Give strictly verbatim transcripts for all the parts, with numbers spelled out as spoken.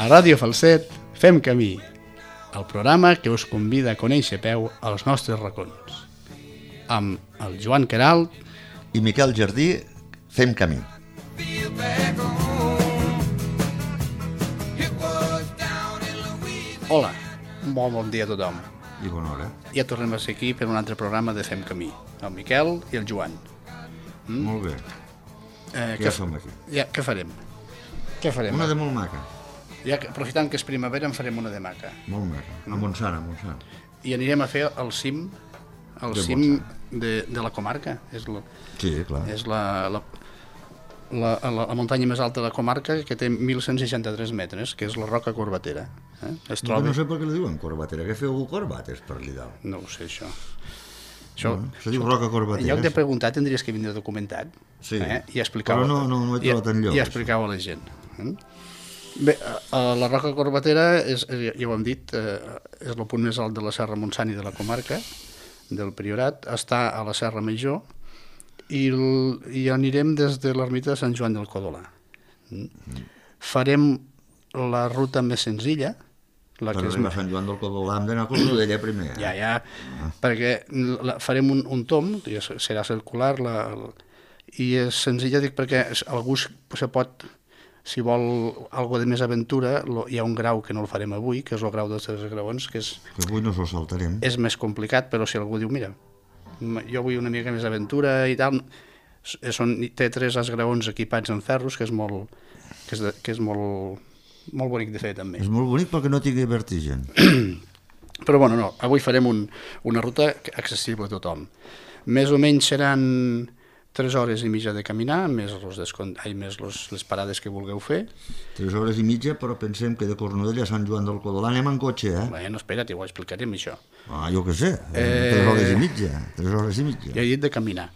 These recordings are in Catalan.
Ràdio Falset fem camí, el programa que us convida a conèixer a peu els nostres racons. Amb el Joan Queralt i Miquel Jardí fem camí. Hola, molt bon dia a tothom. I bona hora. Ja tornem a ser aquí per un altre programa de Fem Camí, el Miquel i el Joan. Mm? Molt bé. Eh, ja som aquí. Ja, què farem? Què farem? Una de molt maca. Ja, aprofitant que és primavera en farem una de maca. Molt maca, a Montsant, a Montsant. I anirem a fer el cim, el de cim de, de la comarca. És la, sí, clar. És la, la, la, la, la muntanya més alta de la comarca, que té mil cent seixanta-tres metres, que és la Roca Corbatera. Eh? Es troba... No sé per què li diuen Corbatera, que feu corbates per allà dalt. No ho sé, això. Això, no, se diu Roca Corbatera. En lloc de preguntar tendries que vindre documentat, sí, eh? I explicar-ho, però no, no, no he trobat enlloc. I explicar-ho a la gent. Eh? Bé, la Roca Corbatera, és, ja ho hem dit, eh, és el punt més alt de la Serra Montsant i de la comarca, del Priorat, està a la Serra Major, i, el, i anirem des de l'ermita de Sant Joan del Codolà. Mm. Farem la ruta més senzilla, la per que és... arribar a Sant Joan del Codolà hem d'anar a Cornudella primer. Eh? Ja, ja, ah. perquè la, farem un, un tom, serà circular, la, la, i és senzilla, dic, perquè algú se pot... Si vol alguna de més aventura, lo, hi ha un grau que no el farem avui, que és el grau dels tres graons, que és... Que avui no s'ho saltarem. És més complicat, però si algú diu, mira, jo vull una mica més aventura i tal, són, té tres esgraons equipats en ferros, que és molt, que és, de, que és molt, molt bonic de fer, també. És molt bonic perquè no tingui vertigen. Però bueno, no, avui farem un, una ruta accessible a tothom. Més o menys seran... tres hores i mitja de caminar, més, los descont... Ai, més los, les parades que vulgueu fer. Tres hores i mitja, però pensem que de Cornudella a Sant Joan del Codolà anem en cotxe, eh? Bueno, espera't, ho explicarem, això. Ah, jo què sé, eh... tres hores i mitja, tres hores i mitja. Jo he dit de caminar.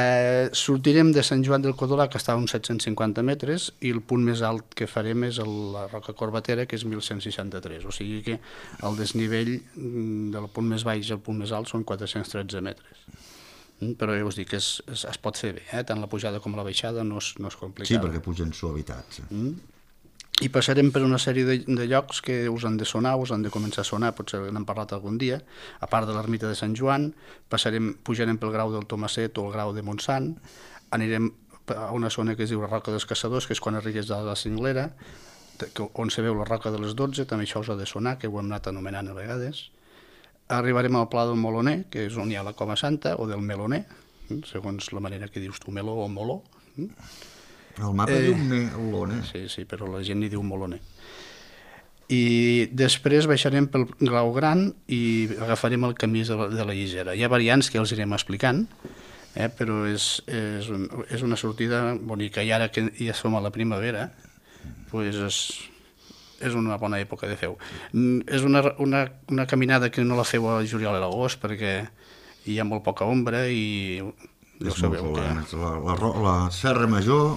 Eh, sortirem de Sant Joan del Codolà, que està a uns set-cents cinquanta metres, i el punt més alt que farem és el, la Roca Corbatera, que és mil cent seixanta-tres, o sigui que el desnivell del punt més baix al punt més alt són quatre-cents tretze metres. Però ja us dic que es, es, es pot fer bé, eh? Tant la pujada com la baixada no és, no és complicat. Sí, perquè pugen suavitats. Mm. I passarem per una sèrie de, de llocs que us han de sonar, us han de començar a sonar, potser n'hem parlat algun dia, a part de l'ermita de Sant Joan, passarem, pujarem pel grau del Tomaset o el grau de Montsant, anirem a una zona que es diu la Roca dels Caçadors, que és quan arribes a la Cinglera, on se veu la Roca de les dotze, també això us ha de sonar, que ho hem anat anomenant a vegades. Arribarem al Pla del Moloner, que és on hi ha la Coma Santa, o del Meloner, segons la manera que dius tu, Meló o Moló. El mapa eh, diu Meloner. Sí, sí, però la gent hi diu Moloner. I després baixarem pel Grau Gran i agafarem el camí de la, de la Lligera. Hi ha variants que els irem explicant, eh, però és, és, un, és una sortida bonica. I ara que ja som a la primavera, pues és... és una bona època de fer-ho. És una, una, una caminada que no la feu a juliol i l'agost perquè hi ha molt poca ombra i ja ho sabeu. Que... La, la, la Serra Major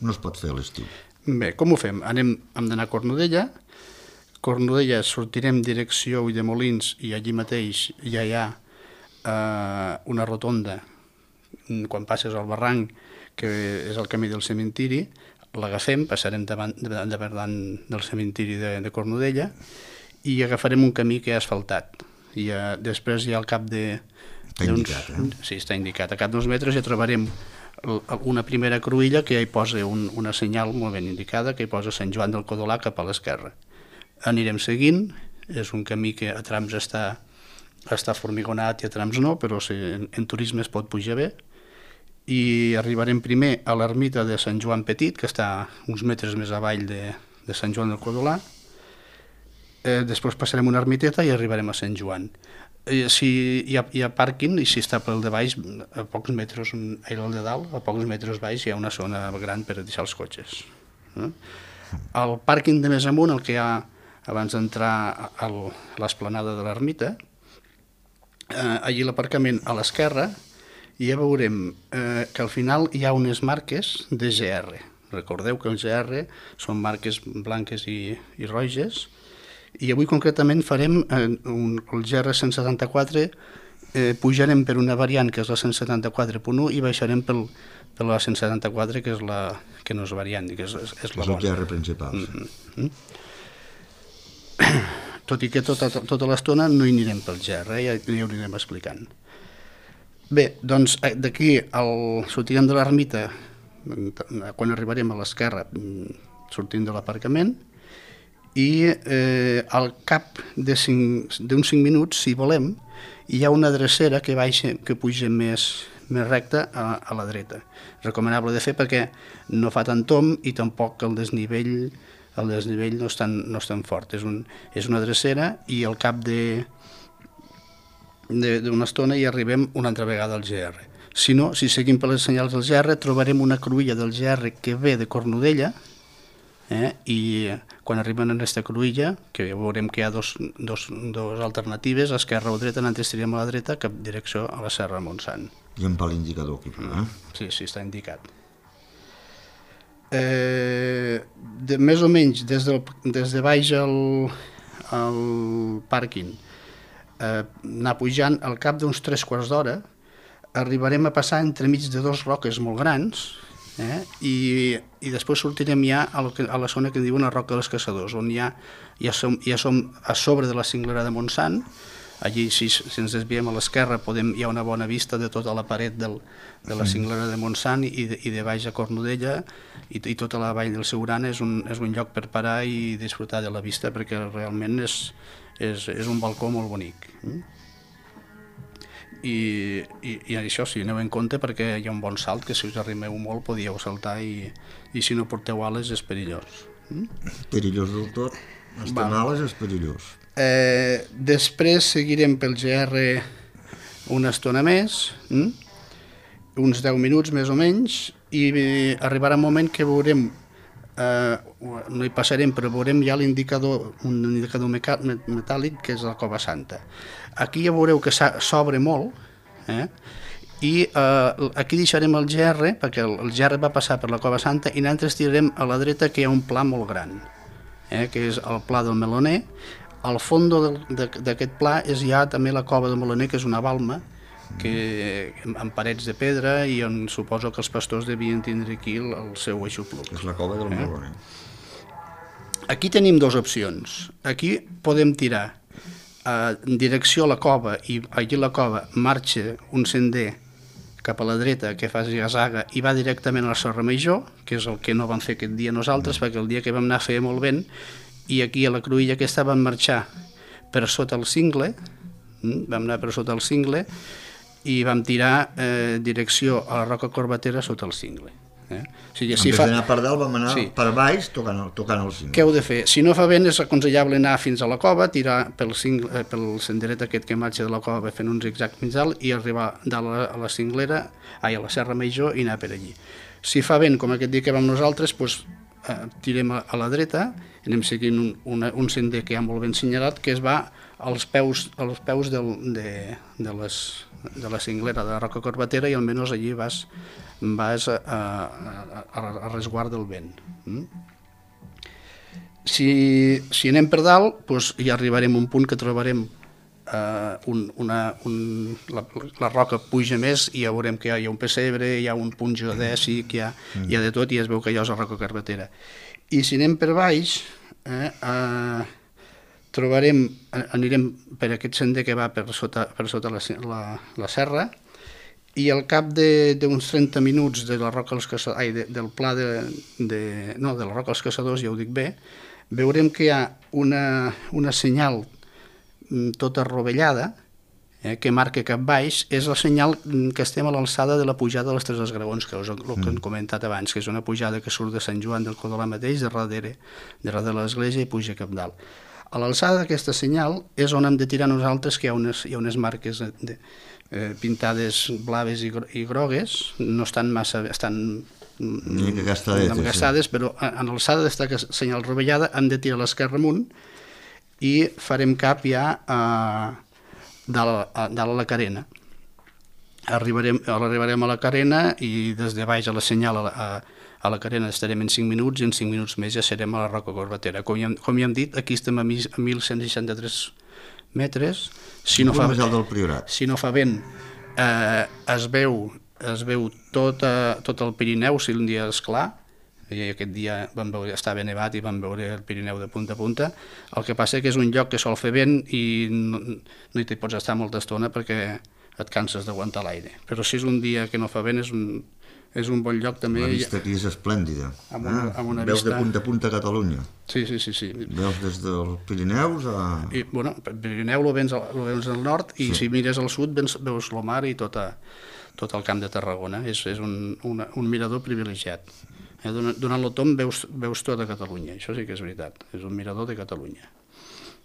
no es pot fer a l'estiu. Bé, com ho fem? Anem, hem d'anar a Cornudella. Cornudella sortirem direcció Ulldemolins i allí mateix ja hi ha eh, una rotonda quan passes al barranc que és el camí del cementiri. L'agafem, passarem davant, davant del cementiri de, de Cornudella i agafarem un camí que ha asfaltat. I uh, després ja al cap de... Està indicat, eh? Sí, està indicat. A cap d'uns metres ja trobarem una primera cruïlla que ja hi posa un, una senyal molt ben indicada, que hi posa Sant Joan del Codolà cap a l'esquerra. Anirem seguint, és un camí que a trams està, està formigonat i a trams no, però si, en, en turisme es pot pujar bé. I arribarem primer a l'ermita de Sant Joan Petit, que està uns metres més avall de, de Sant Joan del Codolà. Eh, després passarem una ermiteta i arribarem a Sant Joan. Eh, si hi ha, hi ha pàrquing, i si està pel de baix, a pocs metres, el de dalt, a pocs metres baix hi ha una zona gran per deixar els cotxes. Eh? Al pàrquing de més amunt, el que hi ha abans d'entrar a l'esplanada de l'ermita, eh, allí l'aparcament a l'esquerra, i ja veurem eh, que al final hi ha unes marques de G R. Recordeu que el G R són marques blanques i, i roges, i avui concretament farem eh, un, el G R cent setanta-quatre, eh, pujarem per una variant que és la cent setanta-quatre punt u i baixarem pel, per la cent setanta-quatre, que és la que no és variant, que és, és, és la bona. És el G R principal. Mm -hmm. Tot i que tota, tota l'estona no hi anirem pel G R, eh? Ja, ja ho anirem explicant. Bé, doncs d'aquí sortirem de l'ermita, quan arribarem a l'esquerra, sortim de l'aparcament, i eh, al cap d'uns cinc minuts, si volem, hi ha una drecera que baixa, que puja més, més recta a, a la dreta. Recomanable de fer perquè no fa tant tom i tampoc el desnivell, el desnivell no és tan, no és tan fort. És, un, és una drecera i al cap de d'una estona hi arribem una altra vegada al G R. Si no, si seguim per les senyals del G R, trobarem una cruïlla del G R que ve de Cornudella, eh? I quan arriben a aquesta cruïlla, que veurem que hi ha dos, dos, dos alternatives, esquerra o dreta, nosaltres tirem a la dreta, cap direcció a la Serra de Montsant. I amb l'indicador aquí, eh? Sí, sí, està indicat. Eh, de, més o menys, des, del, des de baix al, al pàrquing, eh, anar pujant, al cap d'uns tres quarts d'hora, arribarem a passar entremig de dos roques molt grans, eh? I, i després sortirem ja a la, a la zona que diuen la Roca dels Caçadors, on ja, ja, som, ja som a sobre de la cinglera de Montsant. Allí, si, si ens desviem a l'esquerra, hi ha una bona vista de tota la paret del, de la cinglera de Montsant i de, i de baix a Cornudella, i, i tota la vall del Siurana és un, és un lloc per parar i disfrutar de la vista, perquè realment és, és, és un balcó molt bonic. I, i, i això sí, aneu en compte perquè hi ha un bon salt que si us arrimeu molt podíeu saltar i, i si no porteu ales és perillós. Perillós del tot, estar amb ales és perillós. Eh, després seguirem pel G R una estona més, hm? uns deu minuts més o menys, i arribarà un moment que veurem, eh, no hi passarem, però veurem ja l'indicador, un indicador metàl·lic que és la Cova Santa. Aquí ja veureu que s'obre molt, eh? I eh, aquí deixarem el G R, perquè el, el G R va passar per la Cova Santa, i nosaltres tirarem a la dreta que hi ha un pla molt gran, eh? Que és el Pla del Meloner. Al fons d'aquest pla és ja també la Cova del Meloner, que és una balma que, amb parets de pedra, i on suposo que els pastors devien tindre aquí el, el seu aixopluc. És la Cova del eh? Meloner. Aquí tenim dues opcions. Aquí podem tirar en direcció a la cova, i allí la cova marxa un sender cap a la dreta que fa zigazaga i va directament a la Serra Major, que és el que no vam fer aquest dia nosaltres, perquè el dia que vam anar feia molt vent, i aquí a la cruïlla aquesta vam marxar per sota el cingle, vam anar per sota el cingle i vam tirar eh, direcció a la Roca Corbatera sota el cingle. Eh? O sigui, si en fa... vez d'anar per dalt vam anar sí. per baix tocant el, tocant el cingle. Què heu de fer? Si no fa vent és aconsellable anar fins a la cova, tirar pel, cingle, pel senderet aquest que marxa de la cova fent un zigzag fins dalt i arribar dalt a la, a la cinglera, ai, a la Serra Major, i anar per allí. Si fa vent, com aquest dia que vam nosaltres, doncs, eh, tirem a, a la dreta, anem seguint un, una, un sender que hi ha molt ben senyalat, que es va als peus, als peus del, de, de, les, de la cinglera de la Roca Corbatera, i almenys allí vas, vas a, a, a, a resguard del vent. Mm? Si, si anem per dalt, doncs ja arribarem a un punt que trobarem Uh, un, una, un, la, la roca puja més i ja veurem que hi ha, hi ha un pessebre, hi ha un punt geodèsic, hi ha, mm. hi ha de tot, i es veu que allò és la Roca Corbatera. I si anem per baix, eh, uh, trobarem, anirem per aquest sender que va per sota, per sota la, la, la serra, i al cap d'uns trenta minuts de la Roca dels Caçadors, ai, de, del pla de, de, no, de la Roca dels Caçadors, ja ho dic bé, veurem que hi ha una, una senyal tota rovellada, eh, que marca cap baix, és el senyal que estem a l'alçada de la pujada de les Tres Esgraons, que és el que hem comentat abans, que és una pujada que surt de Sant Joan del Codolà mateix, de darrere, de darrere de l'església, i puja cap dalt. A l'alçada d'aquesta senyal és on hem de tirar nosaltres, que hi ha unes, hi ha unes marques de, de, eh, pintades blaves i, i grogues, no estan massa... estan gastades, gastades sí. Però en l'alçada d'aquesta senyal rovellada hem de tirar l'esquerra amunt, i farem cap ja a dalt a, dalt a la carena. Arribarem, arribarem a la carena i des de baix a la senyal a, a, a la carena estarem en cinc minuts, i en cinc minuts més ja serem a la Roca Corbatera. Com ja, com ja hem dit, aquí estem a mil cent seixanta-tres metres. Si no fa, més alt del Priorat. si no fa vent, eh, es veu es veu tot, a, tot el Pirineu si un dia és clar, i aquest dia vam veure, estava nevat i vam veure el Pirineu de punta a punta. El que passa que és un lloc que sol fer vent i no, no hi pots estar molta estona perquè et canses d'aguantar l'aire. Però si és un dia que no fa vent és un, és un bon lloc també. La vista aquí és esplèndida. Amb una, amb una Veus vista... de punta a punta a Catalunya. Sí, sí, sí. sí. Veus des dels Pirineus a... I, bueno, el Pirineu lo vens, al, lo vens al nord i sí. Si mires al sud veus, veus el mar i tot, a, tot el camp de Tarragona. És, és un, una, un mirador privilegiat. Eh, donant el tom veus, veus tota Catalunya, això sí que és veritat, és un mirador de Catalunya.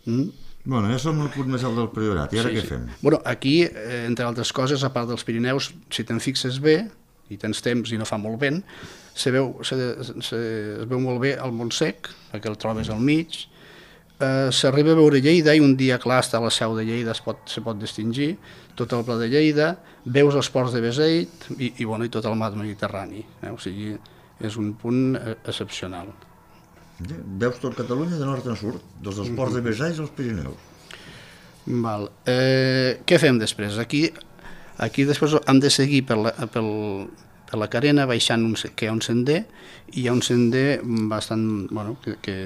Mm? Bueno, ja som el punt més alt del Priorat, i ara sí, què sí. fem? Bueno, aquí, eh, entre altres coses, a part dels Pirineus, si te'n fixes bé, i tens temps i no fa molt vent, se veu, se, se, es veu molt bé el Montsec, perquè el trobes al mig, eh, s'arriba a veure Lleida, i un dia clar està a la seu de Lleida, es pot, se pot distingir, tot el pla de Lleida, veus els ports de Beseit, i, i, bueno, i tot el mar Mediterrani, eh? O sigui, és un punt excepcional. Veus tot Catalunya de nord a sud, des dels ports de Beseit als Pirineus. Val. Eh, què fem després? Aquí, aquí després hem de seguir per la, pel, per la carena, baixant un, que hi ha un sender, i hi ha un sender bastant, bueno, que, que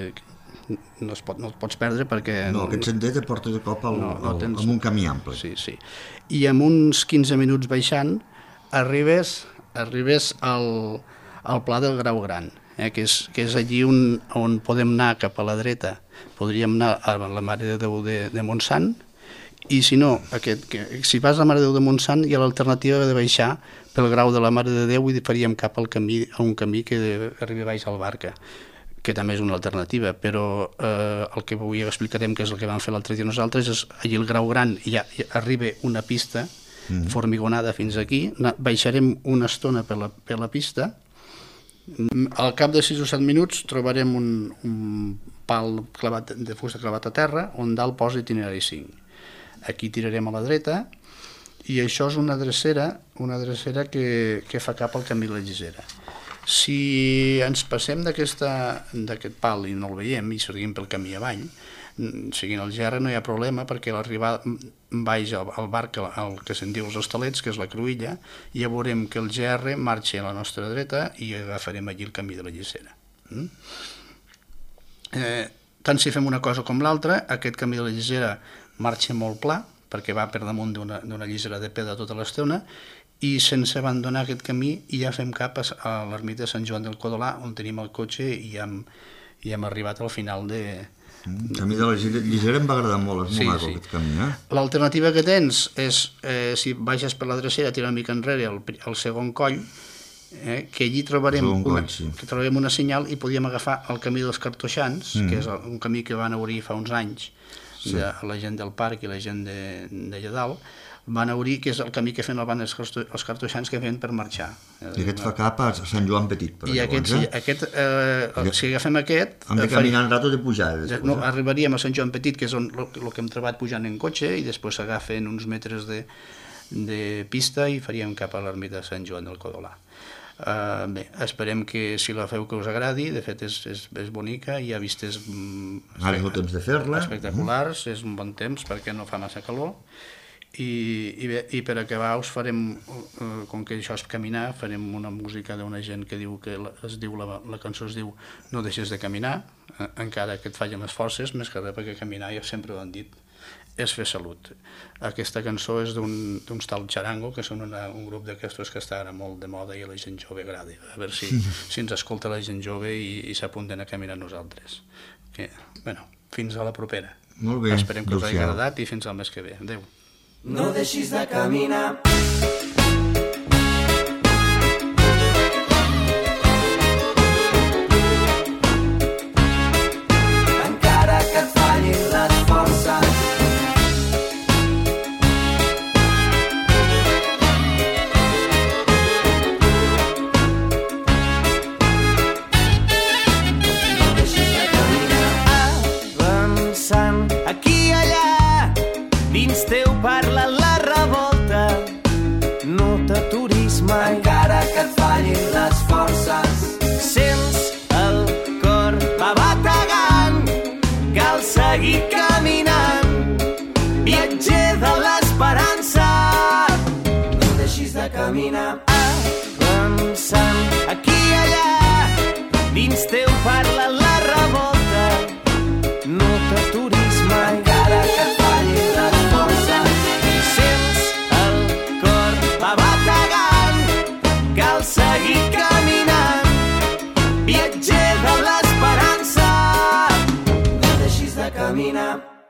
no, es pot, no el pots perdre perquè... No, aquest sender te porta de cop al, no, no tens... amb un camí ample. Sí, sí. I amb uns quinze minuts baixant arribes, arribes al... al Pla del Grau Gran, eh, que, és, que és allí on, on podem anar cap a la dreta, podríem anar a la Mare de Déu de, de Montsant, i si no, aquest, que, si vas a la Mare de Déu de Montsant hi ha l'alternativa de baixar pel Grau de la Mare de Déu i faríem cap al camí, a un camí que arriba baix al Barca, que també és una alternativa, però eh, el que avui explicarem, que és el que vam fer l'altre dia nosaltres, és allí el Grau Gran i ja arriba una pista mm. formigonada fins aquí, baixarem una estona per la, per la pista. Al cap de sis o set minuts trobarem un, un pal clavat, de fusta clavat a terra on dalt posa itinerari cinc. Aquí tirarem a la dreta i això és una drecera, una drecera que, que fa cap al camí de la Llisera. Si ens passem d'aquest pal i no el veiem i seguim pel camí avall, seguint el Gerra no hi ha problema perquè l'arribar baix al, al barc, el que se'n diu els Hostalets, que és la Cruïlla, ja veurem que el Gerra marxa a la nostra dreta i agafarem allí el camí de la Llisera. Mm? Eh, tant si fem una cosa com l'altra, aquest camí de la Llisera marxa molt pla, perquè va per damunt d'una llisera de pedra tota l'estona, i sense abandonar aquest camí ja fem cap a l'ermita de Sant Joan del Codolà, on tenim el cotxe i hem, i hem arribat al final de... El camí de la Llisera em va agradar molt, és molt sí, maco sí. Aquest camí, eh? L'alternativa que tens és, eh, si baixes per la drecera, tira una mica enrere el, el segon coll, eh, que allí trobarem, coll, una, sí. que trobarem una senyal i podíem agafar el camí dels Cartoixans, mm. que és un camí que van obrir fa uns anys, sí. de la gent del parc i la gent d'allà dalt, van obrir, que és el camí que feien el van els cartoixans que feien per marxar. I aquest fa cap a Sant Joan Petit, per I aquest, sí, aquest, eh, si agafem aquest... Hem de caminar un rato de pujar. Després, no, arribaríem a Sant Joan Petit, que és el que hem trobat pujant en cotxe, i després s'agafen uns metres de, de pista i faríem cap a l'ermita de Sant Joan del Codolà. Uh, bé, esperem que si la feu que us agradi, de fet és, és, és bonica, hi ha vistes mm, Ara és el temps de fer-la. Espectaculars, mm. és un bon temps perquè no fa massa calor. I, i, bé, i per acabar us farem, eh, com que això és caminar, farem una música d'una gent que diu que la, es diu la, la cançó es diu No deixes de caminar, eh, encara que et fallen les forces, més que res perquè caminar, ja sempre ho han dit, és fer salut. Aquesta cançó és d'uns d'un tal Charango, que són una, un grup d'aquestos que està ara molt de moda i a la gent jove agrada. A veure si, si ens escolta la gent jove i, i s'apunten a caminar nosaltres. Que, bueno, fins a la propera. Molt bé. Esperem que us hagi agradat i fins al mes que ve. Adéu. No deixis de caminar. Encara que et fallin les forces. No deixis de caminar. Avançant aquí i allà, dins teu parla la revolta, viatger de l'esperança. No deixis de caminar.